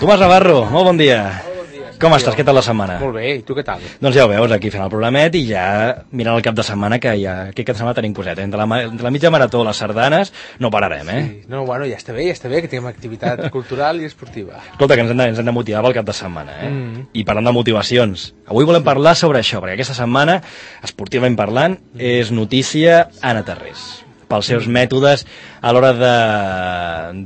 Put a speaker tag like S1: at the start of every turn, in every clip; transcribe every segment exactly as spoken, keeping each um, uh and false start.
S1: Tomàs Navarro, molt bon dia. Com estàs? Què tal la setmana?
S2: Molt bé, i tu què tal?
S1: Doncs ja ho veus, aquí fent el programet i ja mirant el cap de setmana, que ja aquest cap de setmana tenim coset. Entre la, entre la mitja marató, les sardanes, no pararem, eh?
S2: Sí. No, bueno, ja està bé, ja està bé, que tinguem activitat cultural i esportiva.
S1: Escolta, que ens hem de, ens hem de motivar pel cap de setmana, eh?
S2: Mm.
S1: I parlant de motivacions, avui volem parlar sobre això, perquè aquesta setmana, esportivament parlant, és notícia Anna Tarrés, pels seus mètodes a l'hora de,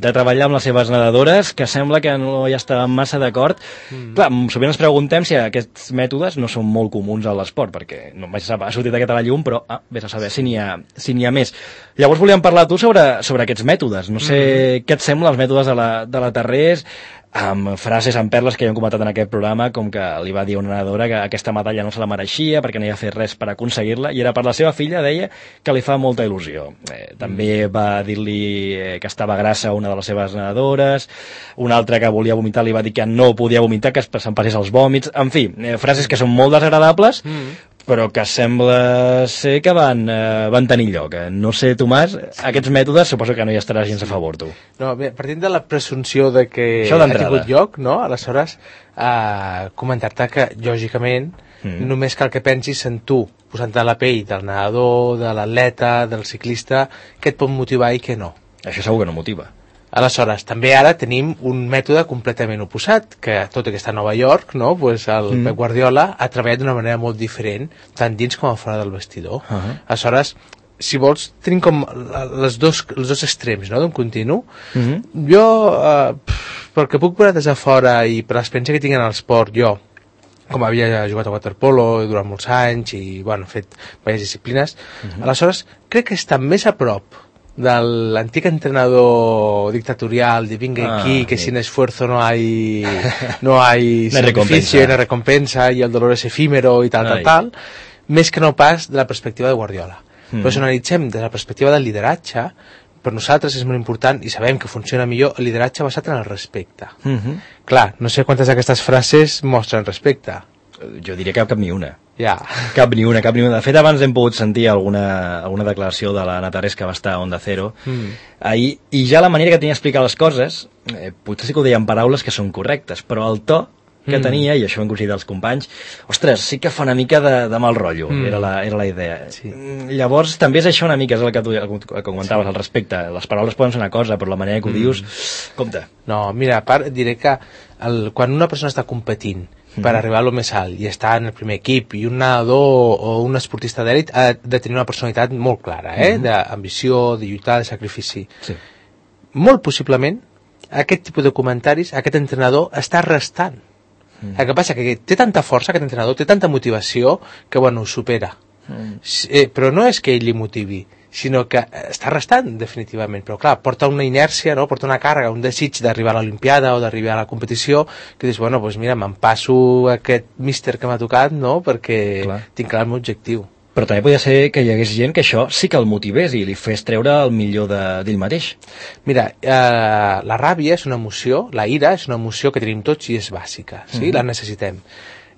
S1: de treballar amb les seves nedadores, que sembla que no hi estaven massa d'acord. Mm. Clar, sovint ens preguntem si aquests mètodes no són molt comuns a l'esport, perquè no vaig saber, ha sortit aquest a la llum, però ah, vés a saber si n'hi ha, si n'hi ha més. Llavors volíem parlar a tu sobre, sobre aquests mètodes. No sé mm. què et sembla els mètodes de la, de la Tarrés, amb frases, amb perles que ja hem comentat en aquest programa, com que li va dir a una nedadora que aquesta medalla no se la mereixia perquè no havia fet res per aconseguir-la, i era per la seva filla, deia que li fa molta il·lusió. Eh, també va dir-li eh, que estava grassa a una de les seves nedadores, una altra que volia vomitar li va dir que no podia vomitar, que se'n passés els vòmits, en fi, eh, frases que són molt desagradables, mm. però que sembla ser que van, eh, van tenir lloc. No sé, Tomàs, aquests mètodes suposo que no hi estaràs gens a favor, tu.
S2: No, bé, partint de la presumpció de que ha tingut lloc, no? Aleshores, eh, comentar-te que, lògicament, mm. només cal que pensis en tu, posant-te a la pell del nedador, de l'atleta, del ciclista, què et pot motivar i què no.
S1: Això segur que no motiva.
S2: Aleshores, també ara tenim un mètode completament oposat, que tot i que està a Nova York, no? Pues el mm. Pep Guardiola ha treballat d'una manera molt diferent, tant dins com a fora del vestidor. Uh -huh. Aleshores, si vols, tenim com les dos, els dos extrems, no?, d'un continu. Uh -huh. Jo, eh, pel que puc veure des de fora i per l'experiència que tinc en l'esport, jo, com havia jugat a waterpolo durant molts anys i, bueno, fet diverses disciplines, uh -huh. aleshores, crec que està més a prop de l'antic entrenador dictatorial de vinga ah, aquí, que sí. sin esfuerzo no hay no hay sacrificio, no hay recompensa y el dolor es efímero i tal, tal, tal, més que no pas de la perspectiva de Guardiola. Mm. Però si analitzem des de la perspectiva del lideratge, per nosaltres és molt important i sabem que funciona millor el lideratge basat en el respecte. Mm-hmm. Clar, no sé quantes d'aquestes frases mostren respecte.
S1: Jo diria que cap ni una.
S2: Ja.
S1: Cap ni una, cap ni una. De fet, abans hem pogut sentir alguna, alguna declaració de l'Anna Tarrés, que va estar a Onda Cero mm. ahir, i ja la manera que tenia d'explicar les coses, eh, potser sí que ho deia en paraules que són correctes, però el to que mm. tenia, i això ho han coincidit els companys, ostres, sí que fa una mica de, de mal rotllo, mm. era, la, era la idea. Sí. Llavors, també és això una mica, és el que tu el que comentaves, sí. al respecte. Les paraules poden ser una cosa, però la manera que ho mm. dius, compte.
S2: No, mira, a part, diré que el, quan una persona està competint per arribar a lo més alt i estar en el primer equip, i un nedador o un esportista d'èlit ha de tenir una personalitat molt clara, eh? Mm-hmm. D'ambició, de lluitar, de sacrifici. Sí. Molt possiblement aquest tipus de comentaris, aquest entrenador està restant. Mm. El que passa que té tanta força, aquest entrenador té tanta motivació que, bueno, ho supera. Mm. Eh, però no és que ell li motivi, sinó que està restant definitivament, però clar, porta una inèrcia, no? Porta una càrrega, un desig d'arribar a l'Olimpiada o d'arribar a la competició, que dius, bueno, doncs mira, me'n passo aquest míster que m'ha tocat, no?, perquè clar. Tinc clar el meu objectiu.
S1: Però també podia ser que hi hagués gent que això sí que el motivés i li fes treure el millor d'ell mateix.
S2: Mira, eh, la ràbia és una emoció, la ira és una emoció que tenim tots i és bàsica, sí? Mm-hmm. La necessitem.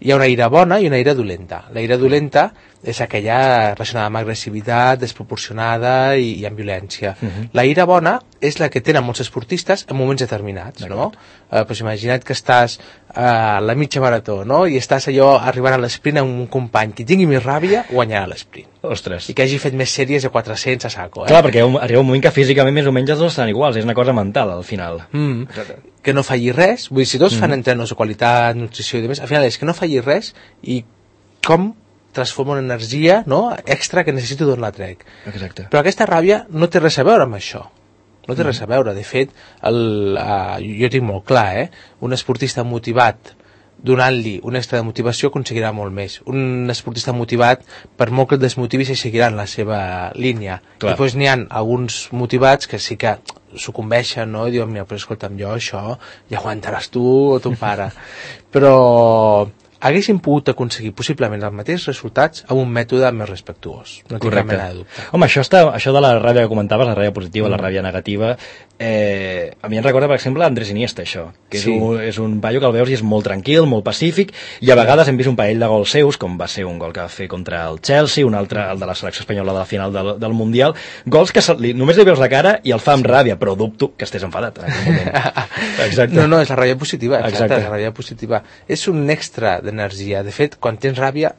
S2: Hi ha una ira bona i una ira dolenta. La ira dolenta és aquella relacionada amb agressivitat, desproporcionada i, i amb violència. Uh-huh. La ira bona és la que tenen molts esportistes en moments determinats, no? Eh, pues imagina't que estàs a la mitja marató, no?, i estàs allò arribant a l'esprint amb un company que tingui més ràbia, guanyarà l'esprint.
S1: Ostres.
S2: I que hagi fet més sèries de quatre-cents a saco, eh?
S1: Clar, perquè arriba un moment que físicament més o menys els dos estan iguals, és una cosa mental al final.
S2: Mm. Que no falli res, vull dir, si tots mm. fan entrenos de qualitat, nutrició i demés, al final és que no falli res i com transforma una energia, no?, extra que necessito d'on la trec.
S1: Exacte.
S2: Però aquesta ràbia no té res a veure amb això. No té mm. res a veure. De fet, el, uh, jo tinc molt clar, eh? Un esportista motivat, donant-li un extra de motivació, aconseguirà molt més. Un esportista motivat, per molt que el desmotivi, se seguirà en la seva línia. Clar. I després n'hi ha alguns motivats que sí que sucumbeixen, no?, i diuen, mira, però escolta'm, jo això ja aguantaràs tu o ton pare. Però haguéssim pogut aconseguir possiblement els mateixos resultats amb un mètode més respectuós. No tinc cap mena de dubte.
S1: Home, això, està, això de la ràbia que comentaves, la ràbia positiva, mm. la ràbia negativa, eh, a mi em recorda, per exemple, Andrés Iniesta, això, que és, sí. un, és un paio que el veus i és molt tranquil, molt pacífic, i a vegades hem vist un parell de gols seus, com va ser un gol que va fer contra el Chelsea, un altre, el de la selecció espanyola de la final del, del Mundial, gols que se, li, només li veus la cara i el fa amb ràbia, però dubto que estés enfadat en aquell moment. Exacte.
S2: No, no, és la ràbia positiva, exacte,
S1: exacte.
S2: la ràbia positiva. És un extra d'energia. De fet, quan tens ràbia,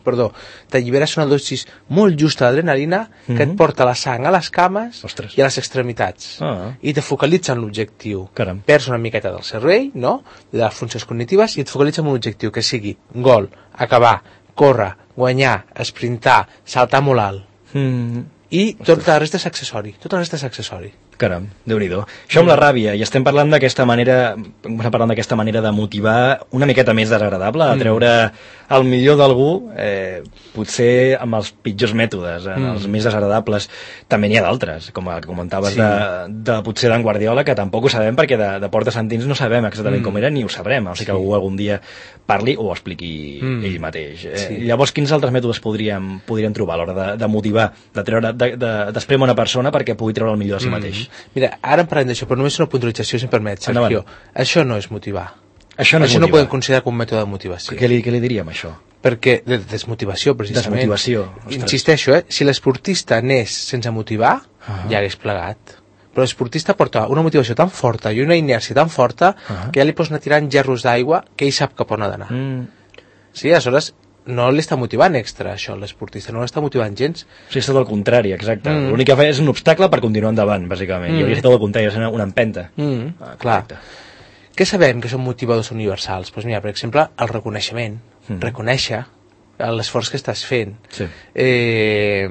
S2: perdó, t'alliberes una dosis molt justa d'adrenalina que mm-hmm. et porta la sang a les cames
S1: Ostres.
S2: i a les extremitats.
S1: Ah.
S2: I te focalitza en l'objectiu.
S1: Caram.
S2: Perds una miqueta del cervell, no?, de les funcions cognitives, i et focalitza en un objectiu que sigui gol, acabar, córrer, guanyar, esprintar, saltar molt alt.
S1: Mm.
S2: I tot la resta és accessori. Tot la resta és accessori.
S1: Caram, Déu-n'hi-do. Això amb la ràbia, i estem parlant d'aquesta manera, parlant d'aquesta manera de motivar una miqueta més desagradable, de treure el millor d'algú, eh, potser amb els pitjors mètodes, en mm. els més desagradables. També n'hi ha d'altres, com el que comentaves sí. de, de potser d'en Guardiola, que tampoc ho sabem perquè de, de portes sentins no sabem exactament mm. com era ni ho sabrem, o sigui sí. que algú algun dia parli o ho expliqui mm. ell mateix. Eh, sí. Llavors, quins altres mètodes podríem, podríem trobar a l'hora de, de motivar, de treure, de, de, d'esprémer una persona perquè pugui treure el millor de si mm. mateix?
S2: Mira, ara en parlem d'això, però només una puntualització, si em permet, Sergio. Endavant. Això no és motivar.
S1: Això no,
S2: això no podem considerar com un mètode de motivació.
S1: Què li, què li diríem, això?
S2: Perquè, de desmotivació, precisament.
S1: Desmotivació.
S2: Insisteixo, eh? Si l'esportista anés sense motivar, uh -huh. ja hagués plegat. Però l'esportista porta una motivació tan forta i una inèrcia tan forta uh -huh. que ja li pots anar tirant gerros d'aigua que ell sap cap on ha d'anar. Mm. Sí, aleshores no l'està motivant extra, això, l'esportista, no l'està motivant gens.
S1: Sí, és tot el contrari, exacte. Mm. L'únic que fa és un obstacle per continuar endavant, bàsicament. Mm. I hauria estat tot el contrari, és una, una empenta.
S2: Mm. Ah, clar. Què sabem que són motivadors universals? Doncs pues mira, per exemple, el reconeixement. Mm. Reconèixer l'esforç que estàs fent.
S1: Sí.
S2: Eh,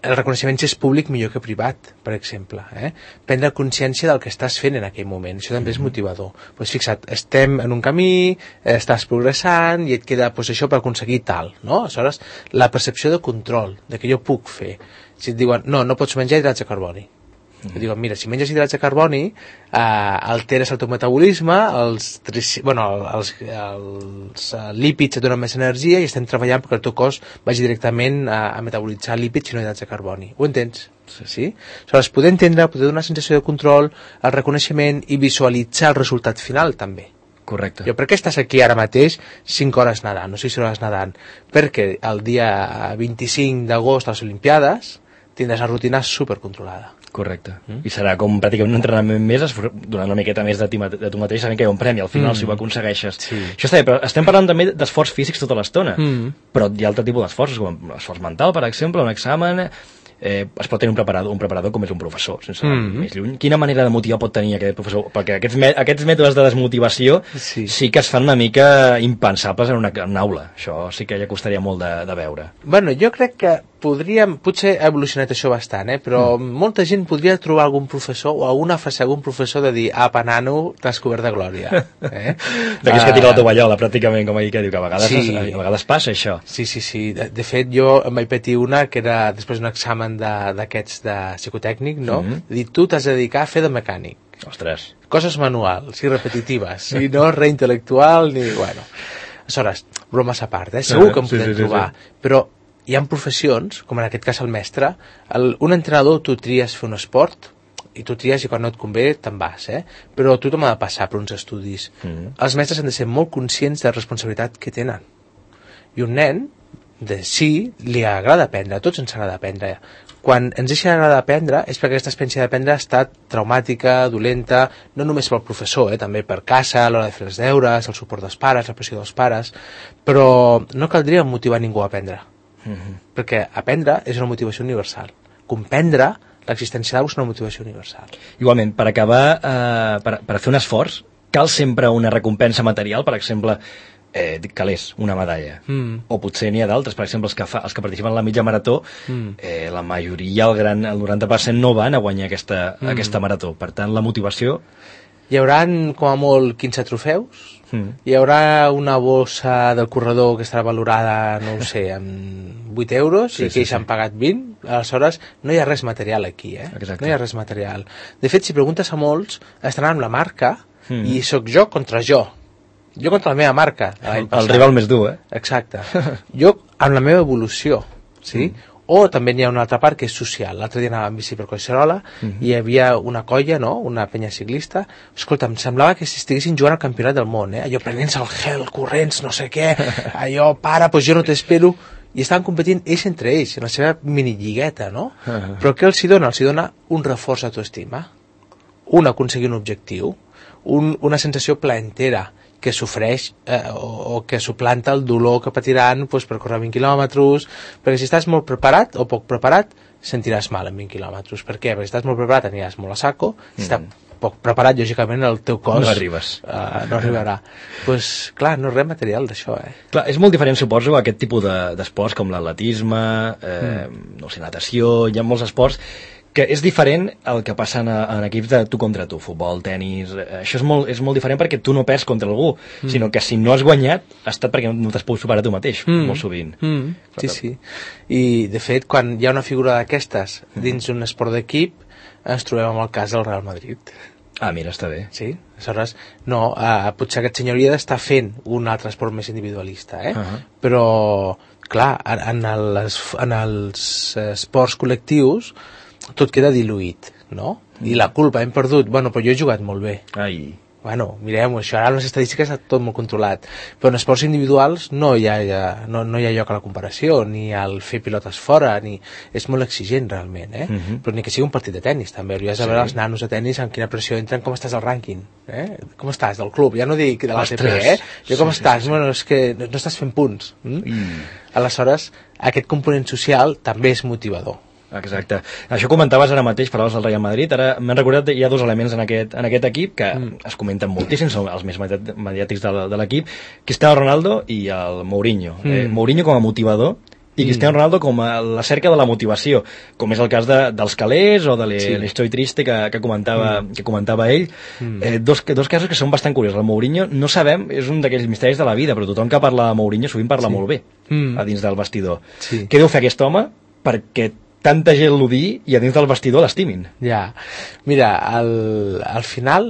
S2: el reconeixement si és públic millor que privat, per exemple. Eh? Prendre consciència del que estàs fent en aquell moment. Això també és motivador. Pues fixa't, estem en un camí, estàs progressant i et queda pues, això per aconseguir tal. No? Aleshores, la percepció de control, de que jo puc fer. Si et diuen, no, no pots menjar hidrats de carboni. Mm. Diuen, mira, si menges hidrats de carboni eh, alteres el teu metabolisme, els, bueno, els, els uh, lípids et donen més energia i estem treballant perquè el teu cos vagi directament a, a metabolitzar lípids i no hidrats de carboni. Ho entens? Sí. sí? Aleshores, poder entendre, poder donar sensació de control, el reconeixement i visualitzar el resultat final també.
S1: Correcte.
S2: Jo, per què estàs aquí ara mateix cinc hores nedant, no sis hores nedant? Perquè el dia vint-i-cinc d'agost a les Olimpiades tindràs la rutina supercontrolada.
S1: Correcte. Mm. I serà com pràcticament un entrenament més, donant una miqueta més de, ti, de tu mateix, sabent que hi ha un premi al final mm. si ho aconsegueixes. Sí. Això està bé, però estem parlant també d'esforç físics tota l'estona. Mm. Però hi ha altre tipus d'esforços, com l'esforç mental, per exemple, un examen. Eh, es pot tenir un preparador, un preparador com és un professor, sense anar mm-hmm. més lluny. Quina manera de motivar pot tenir aquest professor? Perquè aquests, aquests mètodes de desmotivació sí. sí que es fan una mica impensables en una, en una aula. Això sí que ja costaria molt de, de veure.
S2: Bueno, jo crec que podríem, potser ha evolucionat això bastant, eh? però mm. molta gent podria trobar algun professor o alguna frase algun professor de dir, apa, nano, t'has cobert de glòria. Eh?
S1: D'aquells uh, que tira la tovallola, pràcticament, com ahir que diu, que a vegades,
S2: sí.
S1: es, a vegades passa això.
S2: Sí, sí, sí. De, de fet, jo em vaig patir una que era després d'un examen d'aquests de, de psicotècnic, no? Mm -hmm. Dir, tu t'has de dedicar a fer de mecànic.
S1: Ostres.
S2: Coses manuals i repetitives, i no res intel·lectual, ni... Bueno. Aleshores, bromes a part, eh? Segur que em podem sí, sí, trobar, sí, sí. però hi ha professions, com en aquest cas el mestre, el, un entrenador, tu tries fer un esport, i tu tries i quan no et convé te'n vas, eh? Però tothom ha de passar per uns estudis. Mm. Els mestres han de ser molt conscients de la responsabilitat que tenen. I un nen, de sí, li agrada aprendre, a tots ens agrada aprendre. Quan ens deixa d'agradar aprendre és perquè aquesta experiència d'aprendre ha estat traumàtica, dolenta, no només pel professor, eh? també per casa, a l'hora de fer els deures, el suport dels pares, la pressió dels pares, però no caldria motivar ningú a aprendre. Mm-hmm. Perquè aprendre és una motivació universal. Comprendre l'existència d'algú és una motivació universal.
S1: Igualment, per acabar, eh, per, per fer un esforç, cal sempre una recompensa material, per exemple, eh, calés, una medalla. Mm. O potser n'hi ha d'altres, per exemple, els que, fa, els que participen en la mitja marató, mm. eh, la majoria, el, gran, el noranta per cent no van a guanyar aquesta, mm. aquesta marató. Per tant, la motivació...
S2: Hi haurà, com a molt, quinze trofeus, mm. hi haurà una bossa del corredor que estarà valorada, no ho sé, amb vuit euros, sí, i que sí, ells sí. han pagat vint, aleshores no hi ha res material aquí, eh? Exacte. No hi ha res material. De fet, si preguntes a molts, estaran amb la marca, mm. i sóc jo contra jo. Jo contra la meva marca, l'any passat.
S1: El rival més dur, eh?
S2: Exacte. Jo, amb la meva evolució, sí? Mm. O també hi ha una altra part que és social. L'altre dia anava amb bici per Collserola mm-hmm. i hi havia una colla, no?, una penya ciclista. Escolta, em semblava que si estiguessin jugant al campionat del món, eh? Allò prenent-se el gel, corrents, no sé què, allò, para, doncs jo no t'espero. I estaven competint ells entre ells, en la seva minilligueta, no? Uh-huh. Però què els hi dona? Els hi dona un reforç d'autoestima, un aconseguir un objectiu, un, una sensació plaentera, que sofreix eh, o, o que suplanta el dolor que patiran pues, per córrer vint quilòmetres, perquè si estàs molt preparat o poc preparat, sentiràs mal en vint quilòmetres. Per què? Perquè si estàs molt preparat aniràs molt a saco, si mm. estàs poc preparat, lògicament el teu cos
S1: no arribes.
S2: Uh, no arribarà. Pues, clar, no és res material d'això, eh?
S1: Clar, és molt diferent, suposo, aquest tipus d'esports de, com l'atletisme, eh, mm. no sé, natació, hi ha molts esports que és diferent el que passa en, en equips de tu contra tu, futbol, tenis, això és molt, és molt diferent perquè tu no perds contra algú, mm. sinó que si no has guanyat ha estat perquè no t'has pogut superar tu mateix, mm. molt sovint.
S2: Mm. Sí, sí. I, de fet, quan hi ha una figura d'aquestes dins un esport d'equip, ens trobem amb el cas del Real Madrid.
S1: Ah, mira, està bé.
S2: Sí, aleshores, no, eh, potser aquest senyor hauria d'estar fent un altre esport més individualista, eh? Uh-huh. Però, clar, en, en, les, en els esports col·lectius tot queda diluït, no? Mm. I la culpa, hem perdut, bueno, però jo he jugat molt bé.
S1: Ai.
S2: Bueno, mirem-ho, això, ara les estadístiques està tot molt controlat, però en esports individuals no hi ha, no, no hi ha lloc a la comparació, ni al fer pilotes fora, ni... és molt exigent realment, eh? Mm-hmm. Però ni que sigui un partit de tennis, també, hauries de veure sí. els nanos de tennis amb quina pressió entren, com estàs al rànquing, eh? Com estàs, del club, ja no dic de l'A T P, eh? Jo com sí, estàs, sí, sí. Bueno, és que no, no estàs fent punts. Mm? Mm. Aleshores, aquest component social també és motivador.
S1: Exacte. Això comentaves ara mateix, parlaves del Real Madrid, ara m'han recordat que hi ha dos elements en aquest, en aquest equip que mm. es comenten moltíssim, són els més mediàtics de, de l'equip, Cristiano Ronaldo i el Mourinho. Mm. Eh, Mourinho com a motivador i Cristiano mm. Ronaldo com a la cerca de la motivació, com és el cas de, dels calés o de l'Estoy sí. Triste que, que, comentava, mm. que comentava ell. Mm. Eh, dos, dos casos que són bastant curiosos. El Mourinho, no sabem, és un d'aquells misteris de la vida, però tothom que parla de Mourinho sovint parla sí. molt bé mm. a dins del vestidor. Sí. Què deu fer aquest home perquè tanta gent l'odi i a dins del vestidor l'estimin?
S2: Ja, mira, al, al final,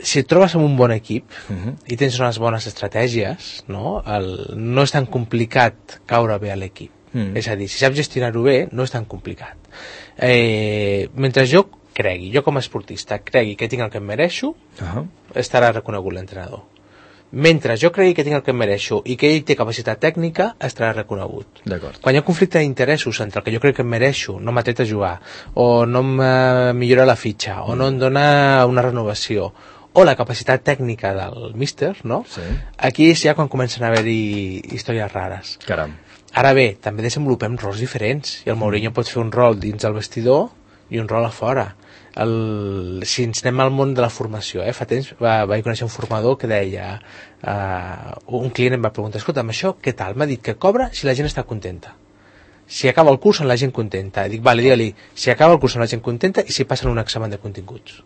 S2: si et trobes amb un bon equip uh-huh. i tens unes bones estratègies, no, el, no és tan complicat caure bé a l'equip. Uh-huh. És a dir, si saps gestionar-ho bé, no és tan complicat. Eh, mentre jo cregui, jo com a esportista, cregui que tinc el que em mereixo, uh-huh. estarà reconegut l'entrenador. Mentre jo cregui que tinc el que em mereixo i que ell té capacitat tècnica, estarà reconegut. Quan hi ha conflicte d'interessos entre el que jo crec que em mereixo, no m'ha tret a jugar, o no em millora la fitxa, mm. o no em dona una renovació, o la capacitat tècnica del míster, no? Sí. Aquí és ja quan comencen a haver-hi històries rares.
S1: Caram.
S2: Ara bé, també desenvolupem rols diferents, i el Mourinho pot fer un rol dins el vestidor i un rol a fora. El, si ens anem al món de la formació, eh? Fa temps va, vaig conèixer un formador que deia uh, un client em va preguntar, escolta, amb això què tal? M'ha dit que cobra si la gent està contenta, si acaba el curs amb la gent contenta. Dic, vale, digue-li, si acaba el curs amb la gent contenta i si passen un examen de continguts.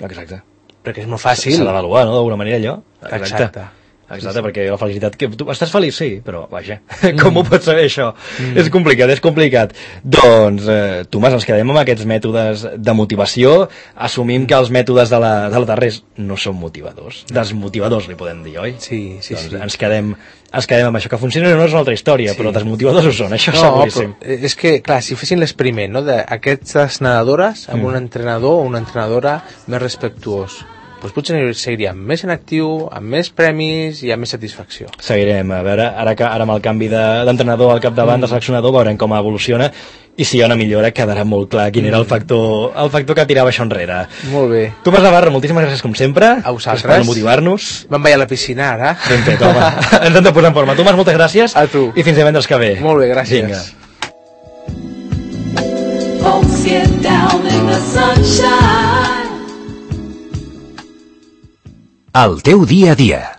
S1: Exacte.
S2: Perquè és molt fàcil.
S1: S'ha d'avaluar, no?, d'alguna manera allò.
S2: Exacte. Exacte.
S1: Exacte, sí, sí. Perquè la felicitat... Que tu estàs feliç? Sí, però vaja, mm. com ho pots saber això? Mm. És complicat, és complicat. Doncs, eh, Tomàs, ens quedem amb aquests mètodes de motivació, assumim que els mètodes de la, de la Tarrés no són motivadors, desmotivadors li podem dir, oi?
S2: Sí, sí,
S1: doncs
S2: sí.
S1: Ens quedem, ens quedem amb això, que funciona no és una altra història, sí. però desmotivadors ho són, això no, seguríssim.
S2: Però és que, clar, si fessin l'experiment, no?, d'aquestes nedadores amb mm. un entrenador o una entrenadora més respectuós, doncs potser seguiríem més en actiu, amb més premis i amb més satisfacció.
S1: Seguirem, a veure, ara, ara amb el canvi d'entrenador de, al capdavant, mm. de seleccionador, veurem com evoluciona i si hi ha una millora quedarà molt clar quin era el factor, el factor que tirava això enrere.
S2: Molt bé.
S1: Tomàs Navarro, moltíssimes gràcies com sempre.
S2: A vosaltres.
S1: Per motivar-nos.
S2: Me'n vaig a la piscina ara.
S1: Ben fet, home. Ens hem de posar en forma. Tomàs, moltes gràcies.
S2: A tu.
S1: I fins divendres que ve.
S2: Molt bé, gràcies.
S1: Vinga.
S3: Folks get down in the sunshine.
S4: El teu dia a dia.